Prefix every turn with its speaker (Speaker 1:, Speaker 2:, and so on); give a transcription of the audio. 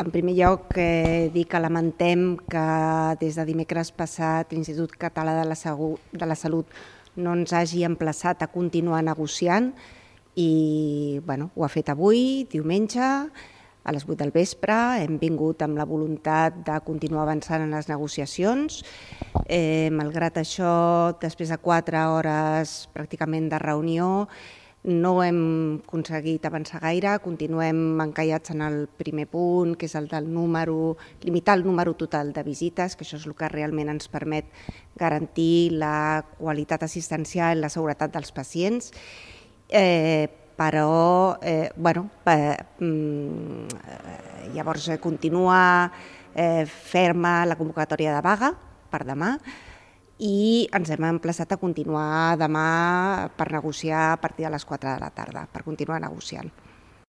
Speaker 1: En primer lloc, dir que lamentem que des de dimecres passat l'Institut Català de la Salut no ens hagi emplaçat a continuar negociant i ho ha fet avui, diumenge, a les 8 del vespre. Hem vingut amb la voluntat de continuar avançant en les negociacions. Malgrat això, després de 4 hores pràcticament de reunió, no hem aconseguit avançar gaire, continuem encallats en el primer punt, que és el del limitar el número total de visites, que això és el que realment ens permet garantir la qualitat assistencial i la seguretat dels pacients. Però, llavors continua ferma la convocatòria de vaga per demà, i ens hem emplaçat a continuar demà per negociar a partir de les 4 de la tarda, per continuar negociant.